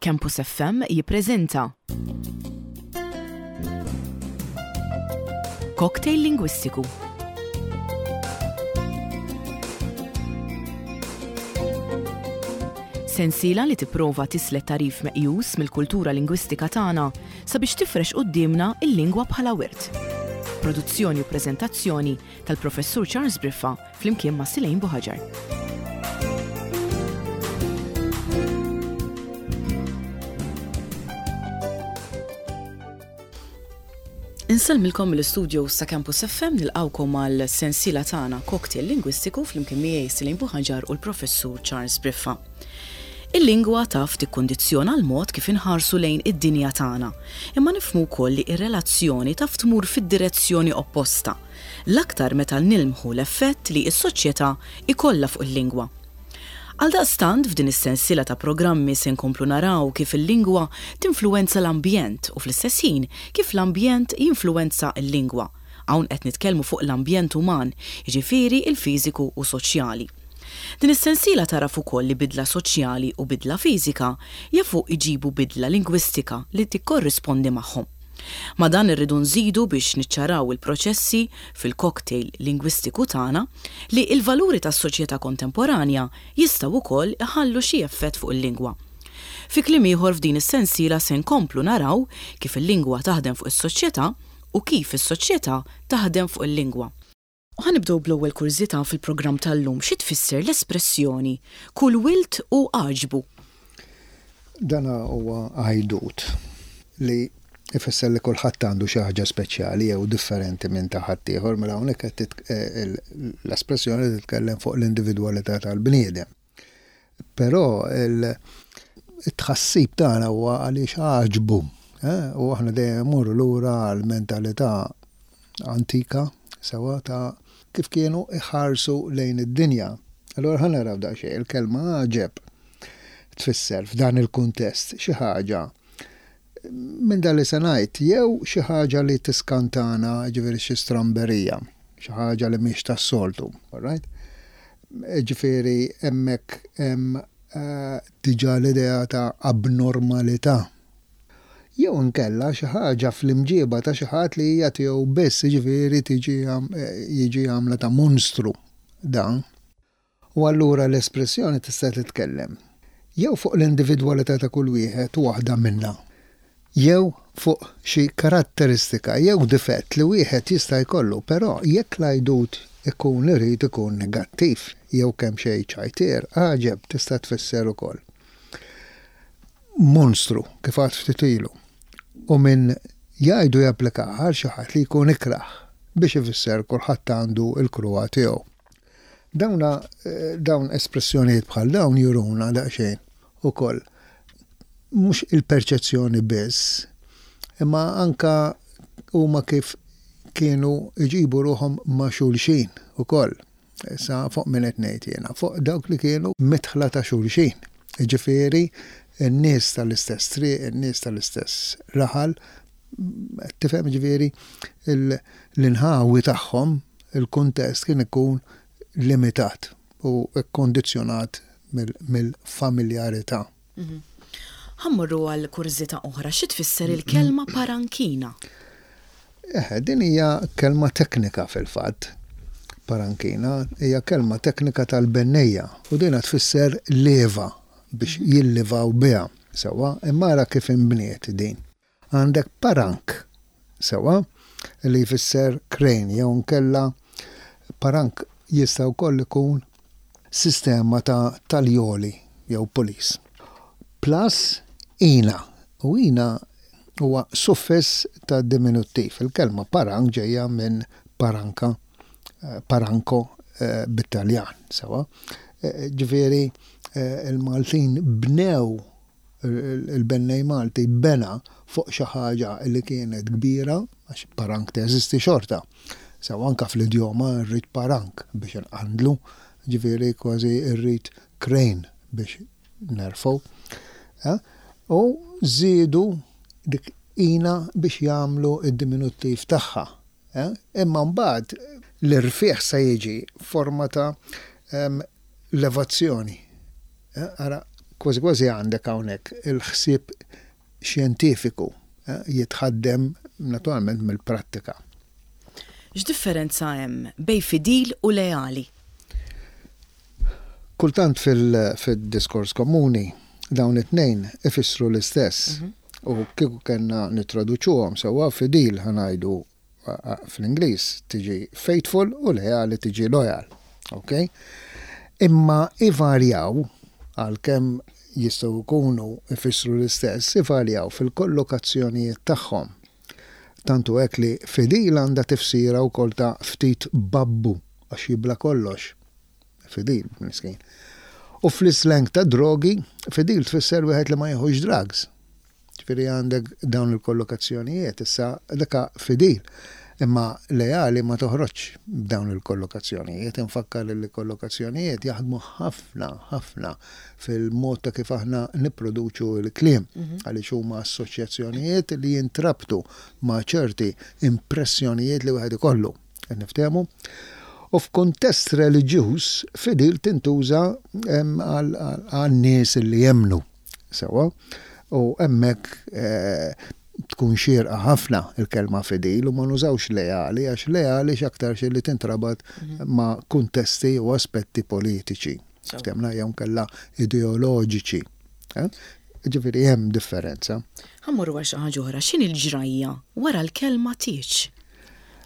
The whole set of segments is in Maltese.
Campus FM jippreżenta Cocktail Lingwistiku. Sensiela li tipprova tislet tagħrif meqjus mill-kultura lingwistika tagħna sabiex tifrex quddiemna l-lingwa bħala wirt. Produzzjoni u preżentazzjoni tal-Professur Charles Briffa flimkien ma' Silejn Buħaġar. Insellmilkom mill-istudios ta' Campus FM nilqawkom għal sensiela tagħna Cocktail Lingwistiku flimkien miegħi Silejn Buħaġar u l-Professur Charles Briffa. Il-lingwa taf tikkundizzjona l-mod kif inħarsu lejn id-dinja tagħna, imma nifhmu wkoll li r-relazzjoni taf tmur fid-direzzjoni opposta, l-aktar meta nilmħu l-effett li s-soċjetà jkollha fuq il-lingwa. Għaldaqstant f'din is-sensiela ta' programmi se nkomplu naraw kif il-lingwa tinfluwenza l-ambjent u fl-istess ħin kif l-ambjent jinfluwenza l-lingwa. Hawn qed nitkellmu fuq l-ambjent uman, jiġifieri l-fiżiku u soċjali. Din is-sensiela tagħraf ukoll li bidla soċjali u bidla fiżika jafu jġibu bidla lingwistika li tikkorrispondi magħhom. Ma' dan irridu nżidu biex niċċaraw il-proċessi fil-cocktail lingwistiku tagħna li l-valuri tas-soċjetà kontemporanja jistgħu wkoll iħallu xi effett fuq il-lingwa. Fi kliem ieħor f'din is-sensiela se nkomplu naraw kif il-lingwa taħdem fuq is-soċjetà u kif is-soċjetà taħdem fuq il-lingwa. U ħa nibdew bl-ewwel kurżità fil-programm tal-lum, xi tfisser l-espressjoni kull wild hu għaġbu? Dan huwa għajdut li jfisser li kulħadd għandu xi ħaġa speċjali jew differenti minn ta' ħaddieħor, mela hawnhekk qed l-espressjoni titkellem fuq l-individwalità tal-bniedem. Però it-tħassib tagħna huwa għaliex għaġbu, u aħna dejjem immorru lura għall-mentalità antika sewwa ta' kif kienu iħarsu lejn id-dinja. Allura ħa naraw daqsxejn il-kelma għaġeb tfisser f'dan il-kuntest xi ħaġa minn dan li se ngħid jew xi ħaġa li tiskantana, ġifieri xi stramberija, xi ħaġa li mhix tas-soltu, all right? Ġifieri hemmhekk hemm eh, diġà l-idea ta' abnormalità. Jew inkella xi ħaġa fl-imġieba ta' xi ħadd li hija tiegħu biss, jiġifieri tiġi jiġi għamla ta' monstru dan. U allura l-espressjoni tista' titkellem jew fuq l-individwalità ta' kull wieħed u waħda minna, jew fuq xi karatteristika jew difett li wieħed jista' jkollu, però jekk l-għajdut ikun irid ikun negattiv jew kemxejn ċajtier, għaġeb tista' tfisser ukoll monstru, kif għadt ftit ilu, u min jgħidu japplikaha għal xi ħadd li jkun ikrah biex ifisser kulħadd għandu l-kruha tiegħu. Dawna dawn espressjonijiet bħal dawn juruna daqsxejn ukoll mhux il-perċezzjoni biss, imma anka huma kif kienu jġibu ruħhom ma' xulxin ukoll. Issa fuq min qed ngħid jiena? Fuq dawk li kienu midħla ta' xulxin. Jiġifieri n-nies tal-istess triq, in-nies tal-istess raħal, qed tifhem jiġifieri l-inħawi tagħhom, il-kuntest kien ikun limitat u kkondizzjonat mill-familjarità. Ħa mmorru għal kurżità oħra, xi tfisser il-kelma parankina? Eħe, din hija kelma teknika fil-fatt. Parankina hija kelma teknika tal-bennejja u dina tfisser lieva biex jillivaw biha. Sewwa, imma ara kif inbniet din. Għandek parank, sewwa, li jfisser crane jew inkella parank jista' wkoll ikun sistema ta' taljoli jew pulleys. Plus ina, u ina huwa suffiss ta' diminuttiv. Il-kelma parank ġejja minn paranka, paranco bit-Taljan, sewwa. Ġifieri l-Maltin bnew il-bennej Malti bena fuq xi ħaġa li kienet kbira, għax parank teżisti xorta. Sew anka fl-idjoma rrid parank biex inqandlu, ġifieri kważi rrid crane biex nerfgħu. Eh? U żiedu dik ina biex jagħmlu id-diminuttiv tagħha. Eh? Imma mbagħad l-irfieħ se jiġi forma ta' levazzjoni. Eh, ara, Kważi kważi għandek hawnhekk il-ħsieb xjentifiku jitħaddem naturalment mill-prattika. X'differenza hemm bejn fidil u leali? Kultant fil-diskors komuni dawn it-tnejn ifissru l-istess. U kieku kellna nittraduċuhom sewwa fidil ħa ngħidu fl-Ingliż tiġi faithful u leali tiġi loyal. Ok? Imma ivarjaw għalkemm jistgħu jkunu ifissru l-istess, ivarjaw fil-kollokazzjonijiet tagħhom. Tant hu hekk li fidil għandha tifsira wkoll ta' ftit babbu għax jibla' kollox. Fidil, miskin. U fl-islang tad-drogi, fidil tfisser wieħed li ma jieħux drugs. Ġifieri għandek dawn il-kollokazzjonijiet, issa dak fidil. Imma leali ma toħroġx b'dawn il-kollokazzjonijiet. Infakkar li kollokazzjonijiet jaħdmu ħafna, ħafna fil-mod ta' kif aħna nipproduċu l-kliem, għaliex huma assoċjazzjonijiet li jintrabtu ma' ċerti impressjonijiet li wieħed ikollu. Qed niftehmu? U f'kuntest reliġjuż, fidil tintuża għan-nies li jemmnu. Sewwa? U hemmhekk tkun xierqa ħafna l-kelma fidil u ma nużawx leali għax leali x'aktarx li tintrabat ma' kuntesti u aspetti politiċi. Ftemna jew nkella ideoloġiċi. Eh? Ġifieri hemm differenza. Ħa mmorru għal xi ħaġa oħra, x'inhi l-ġrajja wara l-kelma tieġ?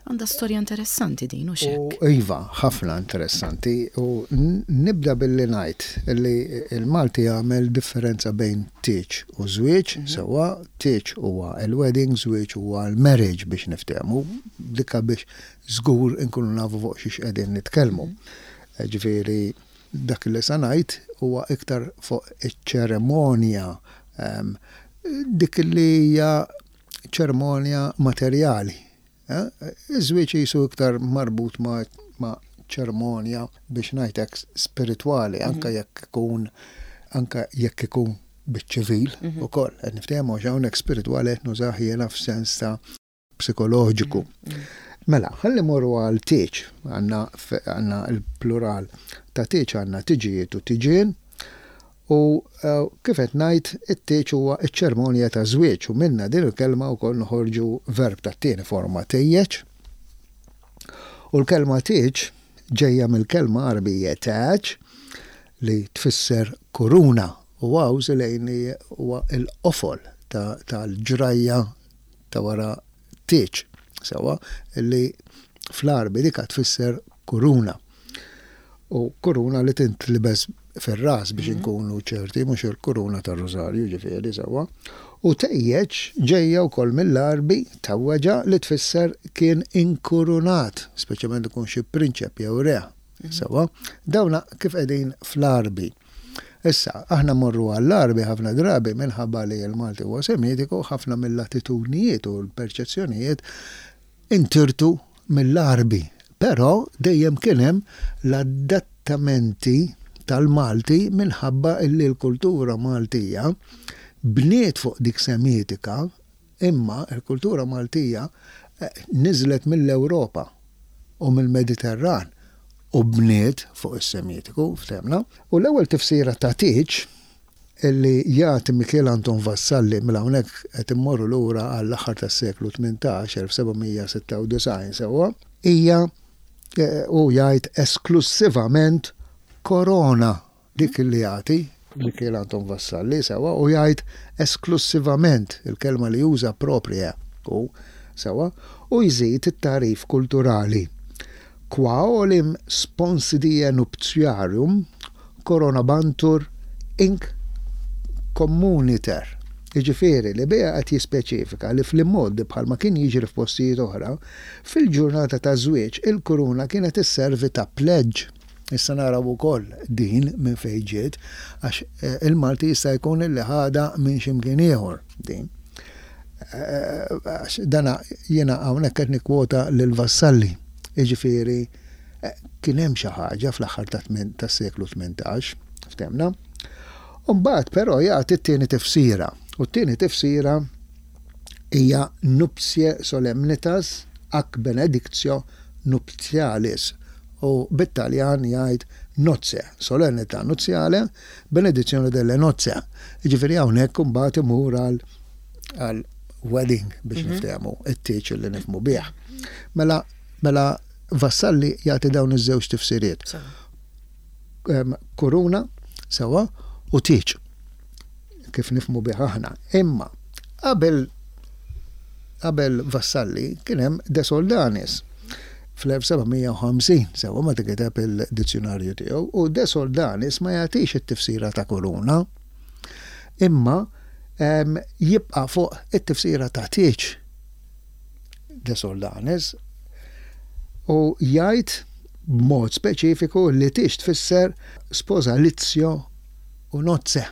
Għandha storja interessanti din, hux hekk? Iva, ħafna interessanti. U nibda billi ngħid li l-Malti jagħmel differenza bejn tieġ u żwieġ, sewwa, tieġ huwa l-wedding, żwieġ huwa l-marriage biex niftehmu, dika biex żgur inkunu nafu fuq xiex qegħdin nitkellmu. Ġifieri dak li se ngħid huwa iktar fuq iċ-ċeremonja dik li hija ċermonja materjali. Iż-żwieġ qisu iktar marbut ma' ċermonja biex ngħid hekk spiritwali anke jekk ikun anke jekk ikun biċ-ċivil ukoll. Qed niftehmu għax hawnhekk spiritwali qed nużah jiena f'sens ta' psikoloġiku. Mela, ħalli morru għal tieġ, għandna l-plural ta' tieġ għandna tiġijiet u tiġien, u kif qed ngħid, it-tieġ huwa ċ-ċermonja ta' żwieġ u minnha din il-kelma wkoll noħorġu verb tat-tieni forma tejjeġ. U l-kelma tieġ ġejja mill-kelma Għarbija taġ li tfisser kuruna u hawn Silejni huwa l-qofol tal-ġrajja ta' wara tieġ, sewwa, li fl-Għarbi dika tfisser kuruna. U kuruna li tintlibes fir-ras biex inkunu ċerti, mhux il-kuruna tar-rużarju ġifieri sewwa. U tejjeġ ġejja wkoll mill-Għarbi tawweġa li tfisser kien inkurunat, speċjalment ikun xi prinċep jew re. Sewwa, dawna kif qegħdin fl-Għarbi. Issa, aħna mmorru għall-Għarbi ħafna drabi minħabba li l-Malti huwa Semitiku, ħafna mill-attitudnijiet u l-perċezzjonijiet intirtu mill-Għarbi. Però dejjem kien hemm l-adattamenti tal-Malti minħabba illi l-kultura Maltija bniet fuq dik Semitika Imma l-kultura Maltija niżlet mill-Ewropa u mill-Mediterran u bniet fuq is-Semitiku, ftehmna. U l-ewwel tifsira ta' tieġ li jagħti Mikiel Anton Vassalli, mela hawnhekk qed immorru lura għall-aħħar tas-seklu 18, 1796 sewwa, hija hu jgħid esklussivament korona Dik li jagħti Mikiel Anton Vassalli sewwa u jgħid esklussivament, il-kelma li juża propria hu, sewwa, u jżid it-tagħrif kulturali, Qua olim sponsidie nuptiarum coronabantur inc communiter. Jiġifieri li biha qed jispeċifika li fl-imgħoddi bħalma kien jiġri f'postijiet oħra, fil-ġurnata taż-żwieġ il-kuruna kienet isservi ta' pledge. Issa naraw ukoll din minn fejn ġiet, għax il-Malti jista' jkun illi ħadha minn xi mkien ieħor din. Għax dana jiena hawnhekk qed nikkwota lil Vassalli, jiġifieri kien hemm xi ħaġa fl-aħħar tas-seklu 18, ftehmna. U mbagħad però jagħti t-tieni tifsira, u t-tieni tifsira hija nuptie solemnitas ac benedictio nuptialis u bit-Taljan jgħid nozze, solennità nuzzjale, benedizione delle nozze. Jiġifieri hawnhekk imbagħad imur għal għal wedding biex niftehmu, it-tieġ li nifhmu bih. Mela mela Vassalli jagħti dawn iż-żewġ tifsiriet. Kuruna, sewwa, u tieġ kif nifhmu bih aħna. Imma qabel qabel Vassalli kien hemm De Soldanis fl-1750, sewwa meta kiteb il-dizzjunarju tiegħu, u De Soldanis ma jagħtix it-tifsira ta' kuruna, imma jibqa' fuq it-tifsira ta' tieġ De Soldanis u jgħid b'mod speċifiku li tieġ tfisser sposalizio u nozze.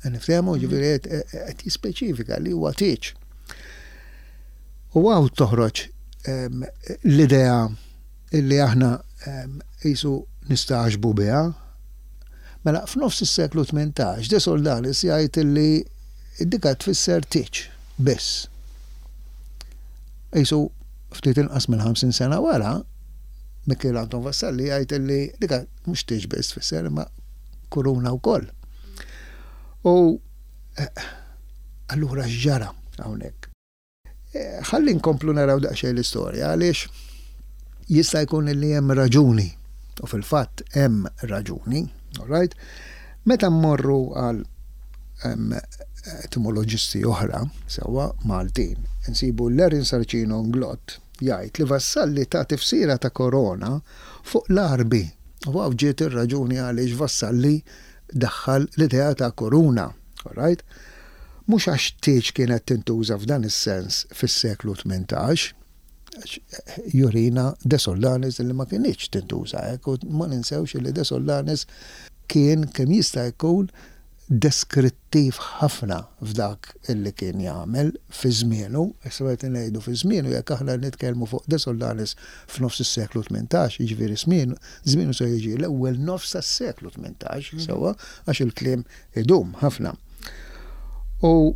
Niftehmu, ġifieri qed jispeċifika li huwa tieġ. U hawn toħroġ l-idea illi aħna qisu nistagħġbu biha. Mela f'nofs is-seklu 18 De Soldanis jgħid illi dika tfisser tieġ biss. Qisu ftit inqas minn 50 sena wara, Mikiel Anton Vassalli jgħid illi dika mhux tieġ biss tfisser imma kuruna wkoll. U eh, allura x'ġara hawnhekk? Eh, ħalli nkomplu naraw daqsxejn l-istorja għaliex jista' jkun li hemm raġuni u fil-fatt hemm raġuni, all right? Meta mmorru għal etimoloġisti oħra, sewwa Maltin, insibu l-Erin Sarcino Nglott jgħid li Vassalli ta tifsira ta' korona fuq l-Għarbi u hawn ġiet ir-raġuni għaliex Vassalli daħħal l-idea ta' kuruna. All right? Mhux għax tieġ kienet tintuża f'dan is-sens fis-seklu 18, għax jurina De Soldanis li ma kinitx tintuża hekk u ma ninsewx li De Soldanis kien kemm jista' jkun deskrittiv ħafna f'dak illi kien jagħmel fi żmienu, issa meta ngħidu fi żmienu jekk aħna nitkellmu fuq De Soldanis f'nofs is-seklu 18, jiġifieri żmienu żmienu se jiġi l-ewwel nofs tas-seklu 18, sewwa, għax il-kliem idum ħafna. U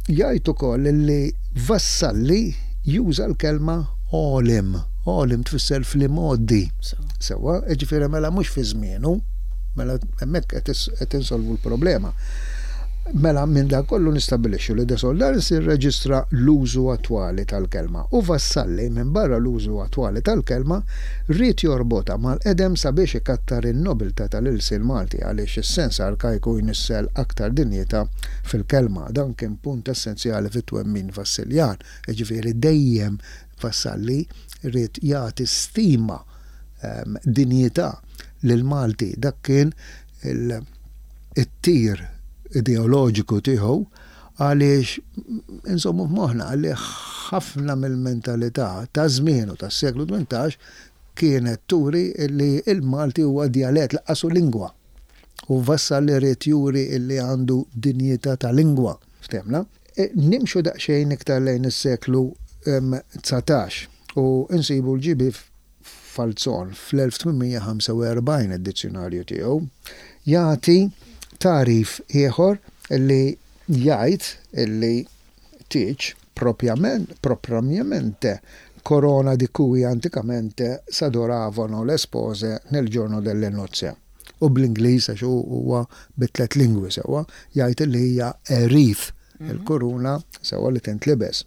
jgħid ukoll li Vassalli juża l-kelma għolim. Għolim tfisser fl-imgħoddi. Sewwa, jiġifieri mela mhux fi żmienu, mela hemmhekk qed insolvu l-problema. Mela minn dan kollu nistabbilixxu li De Soldanis irreġistra l-użu attwali tal-kelma u Vassalli, minbarra l-użu attwali tal-kelma, ried jorbotha mal-qedem sabiex ikattar in-nobiltà tal-ilsien Malti għaliex is-sens arkajku jnissel aktar dinjità fil-kelma. Dan kien punt essenzjali fit-twemmin Vassiljan, jiġifieri dejjem Vassalli ried jagħti stima, dinjità lill-Malti. Dak kien it-tir ideoloġiku tiegħu għaliex insommu f'moħħna li ħafna mill-mentalità ta' żmienu tas-seklu 18 kienet turi li l-Malti huwa djalett lanqas hu lingwa. U Vassalli ried juri li għandu dinjità ta' lingwa. Ftehmna? Nimxu daqsxejn iktar lejn is-seklu 19 u nsibu l-GB Falzon fl-1845 id-dizzjunarju tiegħu jagħti tagħrif ieħor li jgħid li tieġ propriamente corona di cui anticamente s'adoravano le spose nel giorno delle nozze. U bl-Ingliż għax hu huwa bi tliet lingwi sewwa, jgħid li hija a wreath, il-kuruna sewwa li tintlibes.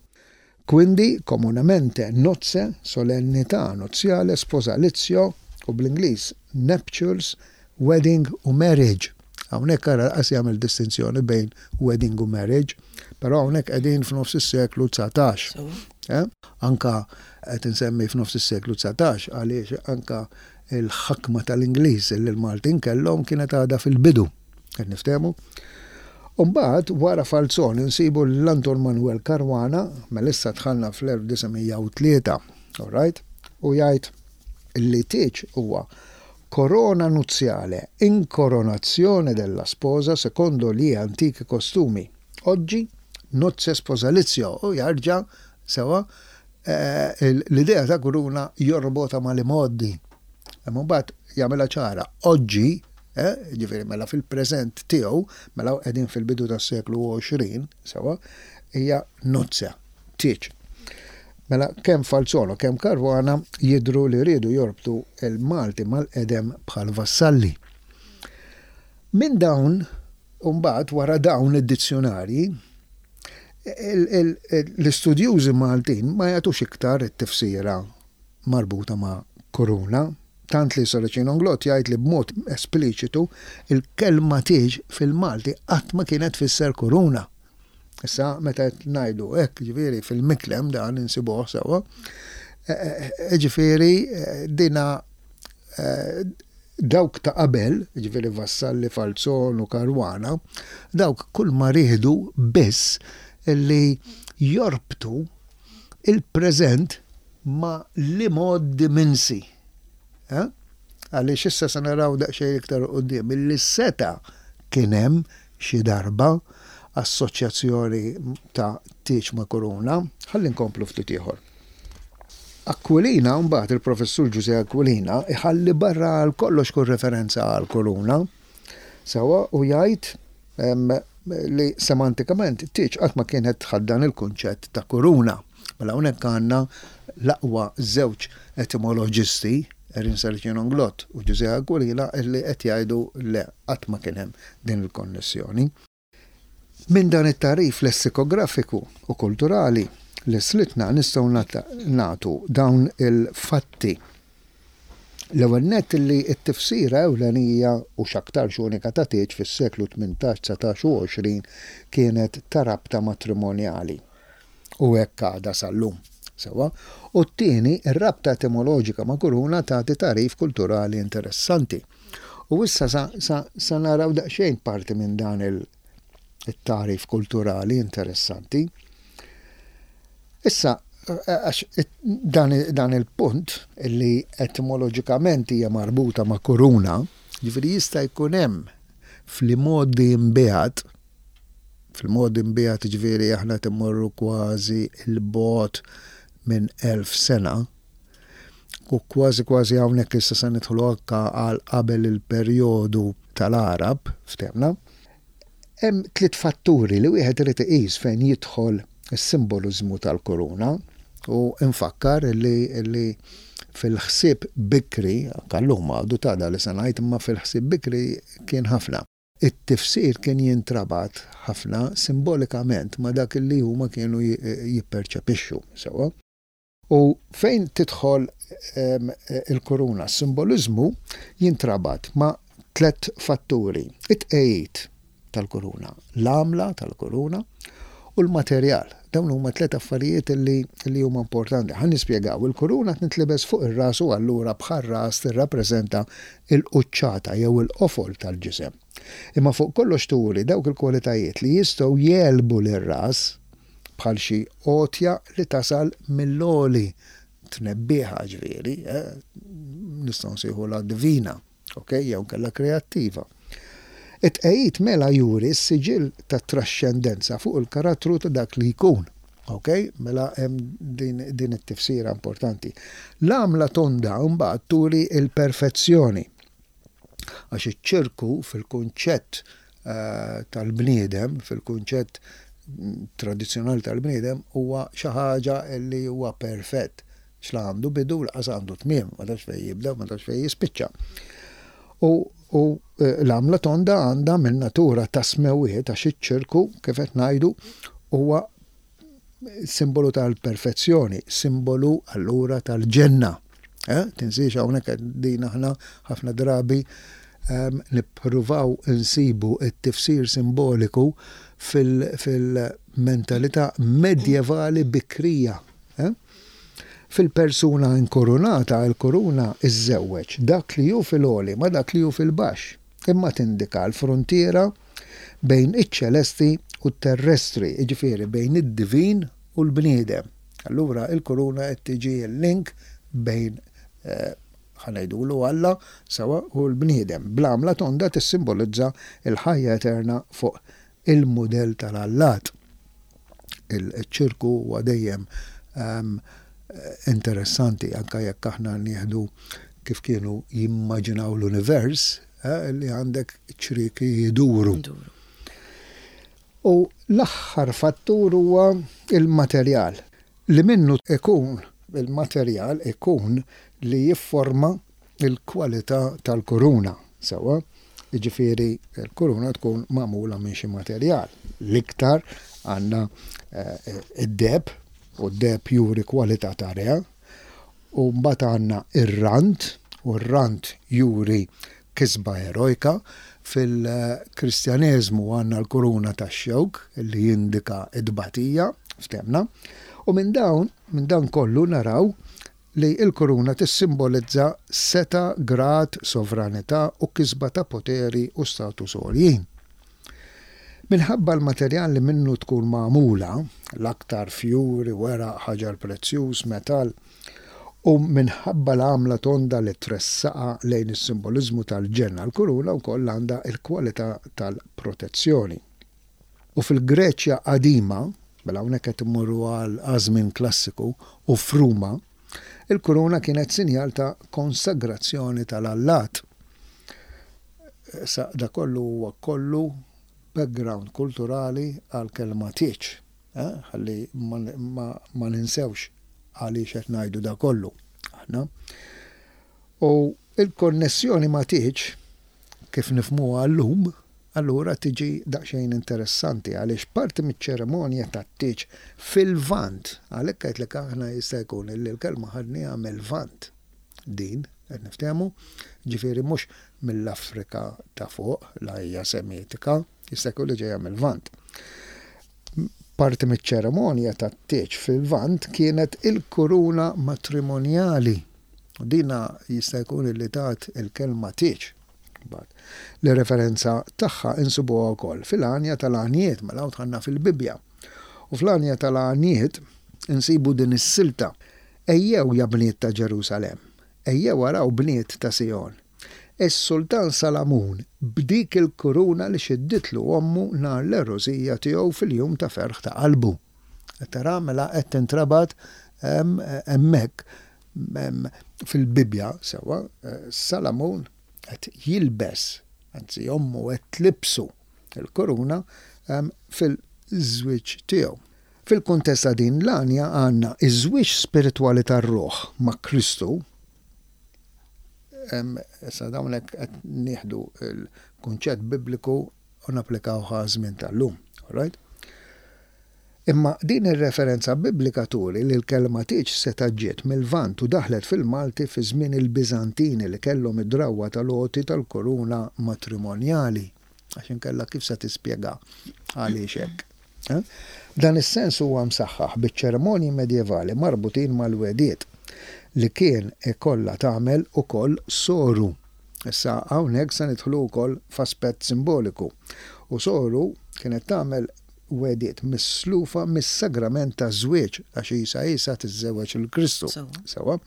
Quindi, comunemente, nozze, solennità nuziale, sposalizio, u bl-Ingliż nuptials, wedding u marriage. Hawnhekk ara lanqas jagħmel distinzjoni bejn wedding u marriage, però hawnhekk qegħdin f'nofs is-seklu 19. Eh? Anka qed insemmi f'nofs is-seklu 19 għaliex anka il-ħakma tal-Ingliż li l-Maltin kellhom kienet għadha fil-bidu. Qed niftehmu? U mbagħad wara Falzon insibu lil Anton Manuel Caruana, mela issa dħalna fl-1903, all right? U jgħid li tieġ huwa corona nuziale, incoronazione della sposa secondo gli antichi costumi. Oggi nozze sposalizio u jarġa' sewa l-idea ta' kuruna jorbotha mal-imgħoddi. Imma mbagħad jagħmilha ċara, oggi Eh, ġifieri mela fil-preżent tiegħu, mela qegħdin fil-bidu tas-seklu 20, sewa, hija nozza, tieġ. Mela kemm Falzon u kemm Caruana jidhru li riedu jorbtu l-Malti mal-qedem bħal Vassalli. Minn dawn, imbagħad wara dawn id-dizzjunarji, l-istudjużi Maltin ma jagħtux iktar it-tifsira marbuta ma' kuruna, tant li Saracino Inglott jgħid li b'mod espliċitu l-kelma tieġ fil-Malti qatt ma kienet tfisser kuruna. Issa meta qed ngħidu hekk, ġifieri fil-Miklem dan insibuh sewwa, ġifieri dina dawk ta' qabel, ġifieri Vassalli, Falzon u Caruana, dawk kull ma riedu biss li jorbtu il-preżent ma' l-imgħoddi minsi. Għaliex issa se naraw daqsxejn iktar 'il quddiem illi seta' kien hemm xi darba assoċjazzjoni ta' tieġ ma' kuruna. Ħalli nkomplu ftit ieħor. Aquilina, mbagħad il-Professur Ġużè Aquilina iħalli barra għal kollox kull referenza għal kuruna. Sewwa u jgħid li semantikament tieġ qatt ma kienet tħaddan il-kunċett ta' kuruna. Mela hawnhekk għandna l-aqwa żewġ etimoloġisti, Erin Saracino Inglott u Ġużè Aquilina, illi qed jgħidu le, qatt ma kien hemm din il-konnessjoni. Minn dan it-tagħrif lessikografiku u kulturali li slitna nistgħu nagħtu dawn il-fatti. L-ewwel nett li t-tifsira ewlenija u x'aktarx unika ta' tieġ fis-seklu 18, 19 u 20 kienet ta' rabta matrimonjali. U hekk għadha sal-lum. Sewwa? U t-tieni, ir-rabta etimoloġika ma' kuruna tagħti tagħrif kulturali interessanti. U issa sa, sa, sa naraw daqsxejn parti minn dan il-tagħrif kulturali interessanti. Issa, għax dan, dan il-punt li etimoloġikament hija marbuta ma' kuruna, ġifieri jista' jkun hemm fl-imgħoddi imbiegħed, fil-modi imbiegħed ġifieri aħna qed immorru kważi 'l bogħod minn 1000 sena, u kważi kważi hawnhekk issa se nidħlu anke għal qabel il-perjodu tal-Għarab, ftehmna. Hemm tliet fatturi li wieħed irid iqis fejn jidħol is-simboliżmu tal-kuruna u nfakkar li li fil-ħsieb bikri, anke llum għadu ta' dan li se ngħid, imma fil-ħsieb bikri kien ħafna. It-tifsir kien jintrabat ħafna simbolikament ma' dak li huma kienu jipperċepixxu, sewwa. U fejn tidħol il-kuruna, s-simboliżmu jintrabat ma' tlett fatturi, it-tqegħid tal-kuruna, l-għamla tal-kuruna u l-materjal. Dawn huma tlett affarijiet li li huma importanti. Ħa nispjegaw, il-kuruna tintlibes fuq ir-ras u allura bħar-ras tirrappreżenta l-quċċata jew il-qofol tal-ġisem. Imma fuq kollox turi dawk il-kwalitajiet li jistgħu jegħlbu lir-ras bħal xi għotja li tasal mill-għoli, tnebbieħa ġifieri, eh, nistgħu nsejħulha divina, ok, jew inkella kreattiva. It-tqegħid mela juri s-siġill tat-traxxendenza fuq il-karattru ta' dak li jkun. Ok, mela hemm din, din it-tifsira importanti. L-għamla tonda mbagħad turi l-perfezzjoni. Għax iċ-ċirku fil-kunċett tal-bniedem, fil-kunċett tradizzjonali tal-bniedem, huwa xi ħaġa li huwa perfett. X'la għandu bidu u laqas għandu tmiem, ma tafx fejn jibda u ma tafx fejn jispiċċa. U, u l-għamla tonda għandha minn natura ta' smewwiet għax iċ-ċirku, kif qed ngħidu, huwa simbolu tal-perfezzjoni, simbolu allura tal-ġenna. Eh? Tinsiex hawnhekk din aħna ħafna drabi ehm, nippruvaw insibu t-tifsir simboliku fil-mentalità medjevali bikrija. Eh? Fil-persuna inkurunata, il-kuruna iżżewweġ dak li hu fil-għoli ma' dak li hu fil-baxx, imma tindika l-fruntiera bejn iċ-ċelesti u t-terrestri, jiġifieri bejn id-divin u l-bniedem. Allura il-kuruna qed tiġi l-link bejn ħa ngħidulu Alla sewwa u l-bniedem. Bl-għamla tonda tissimbolizza l-ħajja eterna fuq il-mudell tal-allat. Il-ċirku huwa dejjem interessanti anke jekk aħna nieħdu kif kienu jimmaġinaw l-univers, li għandek ċrieki jduru. U l-aħħar fattur huwa il-materjal. Li minnu ikun il-materjal ikun li jifforma l-kwalità tal-kuruna, sewwa? Jiġifieri l-kuruna tkun magħmula minn xi materjal. L-iktar għandna d-deheb, u d-deheb juri kwalità ta' re, u mbagħad għandna r-rand, u r-rand juri kisba erojka. Fil-Kristjaneżmu għandna l-kuruna tax-xewk li jindika t-tbatija, ftehmna. U minn dawn, minn dan kollu naraw li l-kuruna tissimbolizza setgħa, grad, sovranità u kisba ta' poteri u status għoljin. Minħabba l-materjal li minnu tkun magħmula, l-aktar fjuri, weraq, ħaġar prezzjuż, metall, u minħabba l-għamla tonda li tressaqha lejn is-simboliżmu tal-ġenna, l-kuruna wkoll għandha l-kwalità tal-protezzjoni. U fil-Greċja qadima, mela hawnhekk qed immorru għal għaż-żmien klassiku, u f'Ruma, il-kuruna kienet sinjal ta' konsagrazzjoni tal-allat. Issa da kollu huwa kollu background kulturali għall-kelma tieġ, eh, ħalli ma, ma ninsewx għaliex qed ngħidu da kollu aħna. U il-konnessjoni ma' tieġ kif nifhmuha llum, allura tiġi daqsxejn interessanti għaliex parti miċ-ċerimonja tat-tieġ fil-Lvant, għalhekk għedtlek aħna jista' jkun illi l-kelma ħadnieha mil-Lvant din, qed niftehmu, ġifieri mhux mill-Afrika ta' fuq, la hija Semitika, jista' jkun li ġejja mil-Lvant. Parti miċ-ċerimonja tat-tieġ fil-Lvant kienet il-kuruna matrimonjali. U dina jista' jkun li tat il-kelma tieġ. Mbagħad, li referenza tagħha insibuha wkoll fil-Għanja tal-Għanjiet, mela hawn dħalna fil-Bibbja. U fl-Għanja tal-Għanjiet insibu din is-silta, Ejjew ja bniet ta' Ġerusalemm, ejjew araw bniet ta' Sijon. Is-sultan Salamun b'dik il-kuruna li xidditlu ommu nhar l-għerusija tiegħu fil-jum ta' ferħ ta' qalbu. Qed tara mela qed tintrabat hemmhekk Fil-Bibbja, sewwa, Salamun qed jilbes, anzi ommu qed tlibsu l-kuruna fil-żwieġ tiegħu. Fil-kuntest ta' din l-għanja għandna ż-żwieġ spiritwali tar-ruħ ma' Kristu, issa dawn hekk qed nieħdu l-kunċett Bibliku u napplikawh għaż-żmien tal-lum, all right? Imma din ir-referenza Biblika turi li l-kelma tieġ setgħet ġiet mil-Lvant u daħlet fil-Malti fi żmien il-Biżantini li kellhom id-drawwa tal-għoti tal-kuruna matrimonjali. Għax inkella kif se tispjega għaliex hekk? Dan is-sens huwa msaħħaħ biċ-ċerimonji medjevali marbutin mal-wegħdiet li kien ikollha tagħmel ukoll soru. Issa hawnhekk se nidħlu wkoll f'aspett simboliku. U soru kienet tagħmel wegħdiet mislufa mis-sagrament taż-żwieġ, għax isa isa tiżżewweġ lil Kristu. Sewwa.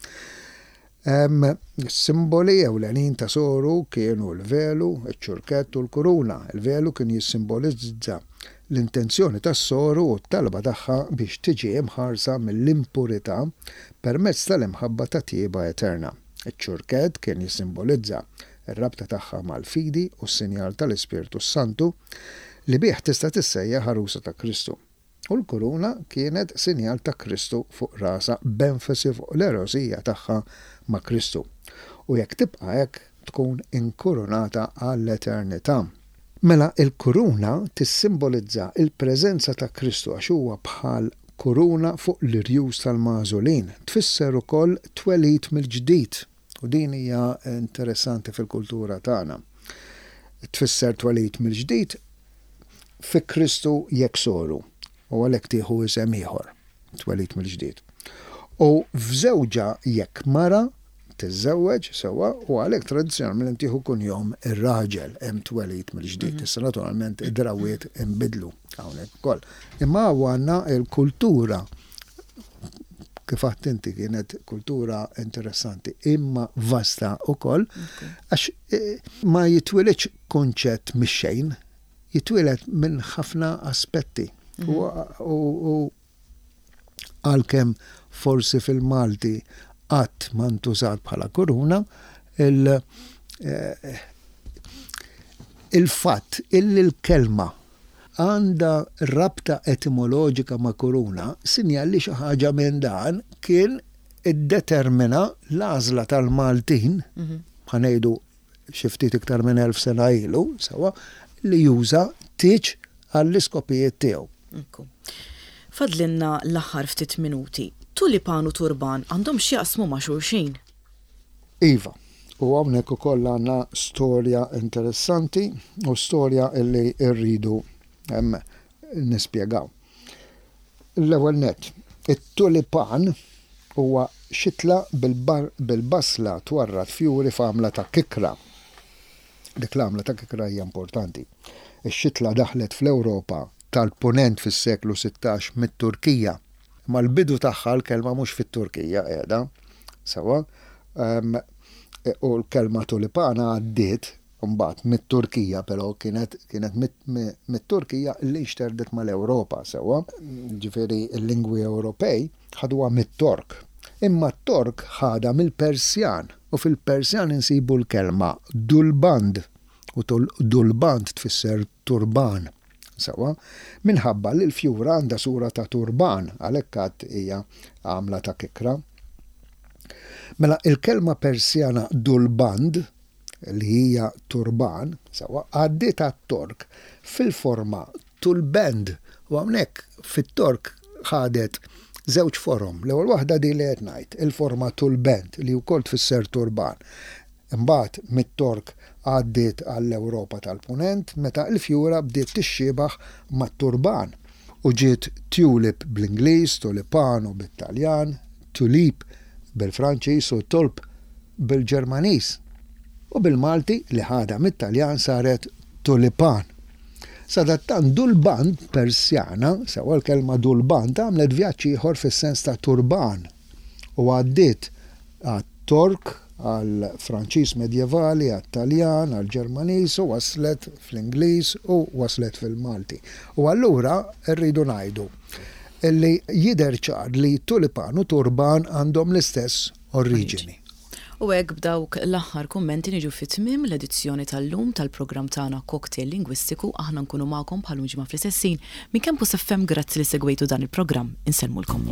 Is-simboli ewlenin ta' soru kienu l-velu, iċ-ċurkett u l-kuruna. Il-velu kien jissimbolizza l-intenzjoni tas-soru u t-talba tagħha biex tiġi imħarsa mill-impurità permezz tal-imħabba ta' tjieba eterna. Iċ-ċurkett kien jissimbolizza r-rabta tagħha mal-fidi u s-sinjal tal-Ispirtu s-Santu li bih tista' tissejjaħ għarusa ta' Kristu. U l-kuruna kienet sinjal ta' Kristu fuq rasha b'enfasi fuq l-għerosija tagħha ma' Kristu. U jekk tibqa' hekk tkun inkurunata għall-eternità. Mela l-kuruna tissimbolizza l-preżenza ta' Kristu għax huwa bħal kuruna fuq l-irjus tal-magħżulin. Tfisser ukoll twelid mill-ġdid. U din hija interessanti fil-kultura tagħna. Tfisser twelid mill-ġdid fi Kristu jekk soru, u għalhekk tieħu isem ieħor, twelid mill-ġdid. U f'żewġha jekk mara tiżżewweġ sewwa u għalhekk tradizzjonalment tieħu kunjom ir-raġel hemm twelid mill-ġdid. Mhm. Issa naturalment id-drawwiet inbidlu hawnhekk ukoll. Imma għandna l-kultura kif għedt inti kienet kultura interessanti imma vasta ukoll għax eh, ma jitwilidx kunċett mix-xejn, jitwieled minn ħafna aspetti. Mhm. U għalkemm forsi fil-Malti qatt ma ntużat bħala kuruna, il- eh, il-fatt illi l-kelma għandha rabta etimoloġika ma' kuruna, sinjal li xi ħaġa minn dan kien iddetermina l-għażla tal-Maltin, ħa ngħidu xi ftit iktar minn 1000 sena ilu, sewwa, li juża tieġ għall-iskopijiet tiegħu. Ekku. Fadlilna l-aħħar ftit minuti. Tulipan u turban għandhom x'jaqsmu ma' xulxin? Iva. U hawnhekk ukoll għandna storja interessanti u storja li rridu nispjegaw. L-ewwel nett, it-tulipan huwa xitla bil-basla twarrad fjuri f'għamla ta' kikra. Dik l-għamla ta' kikra hija importanti. Ix-xitla daħlet fl-Ewropa tal-Punent fis-seklu 16 mit-Turkija. Imma l-bidu tagħha l-kelma mhux fit-Turkija qiegħda, sewwa, u l-kelma tulipana għaddiet mbagħad mit-Turkija però kienet kienet mit-Turkija li nxterdet mal-Ewropa, sewwa, ġifieri l-lingwi Ewropej ħaduha mit-Tork. Imma t-Tork ħadha mill-Persjan u fil-Persjan insibu l-kelma dulband u dulband tfisser turban. Sewwa, minħabba li l-fjura għandha sura ta' turban, għalhekk għad hija għamla ta' kikra. Mela il-kelma Persjana dulband, li hija turban, sewwa, għaddiet għat-Tork fil-forma tulbend u hawnhekk fit-Tork ħadet żewġ forom. L-ewwel waħda din li qed ngħid, il-forma tulbend li wkoll tfisser turban. Imbagħad mit-Tork għaddiet għall-Ewropa tal-Punent meta l-fjura bdiet tixxiebaħ mat-turban u ġiet tulip bl-Ingliż, tulipano bit-Taljan, tulip bil-Franċiż u tulp bil-Ġermaniż. U bil-Malti li ħadha mit-Taljan saret tulipan. Sadattant dulband Persjana, sewwa l-kelma dulband għamlet vjaġġ ieħor fis-sens ta' turban u għaddiet għat-Tork, għall-Franċiż Medjevali, għat-Taljan, għall-Ġermaniż u waslet fl-Ingliż u waslet fil-Malti. U allura rridu ngħidu li jidher ċar li tulipan u turban għandhom l-istess oriġini. U hekk b'dawk l-aħħar kummenti niġu fi tmiem l-edizzjoni tal-lum tal-programm tagħna Cocktail Lingwistiku. Aħna nkunu magħkom bħal ġimgħa fl-istess ħin minn Campus FM. Grazzi li segwejtu dan il-programm. Insellmulkom.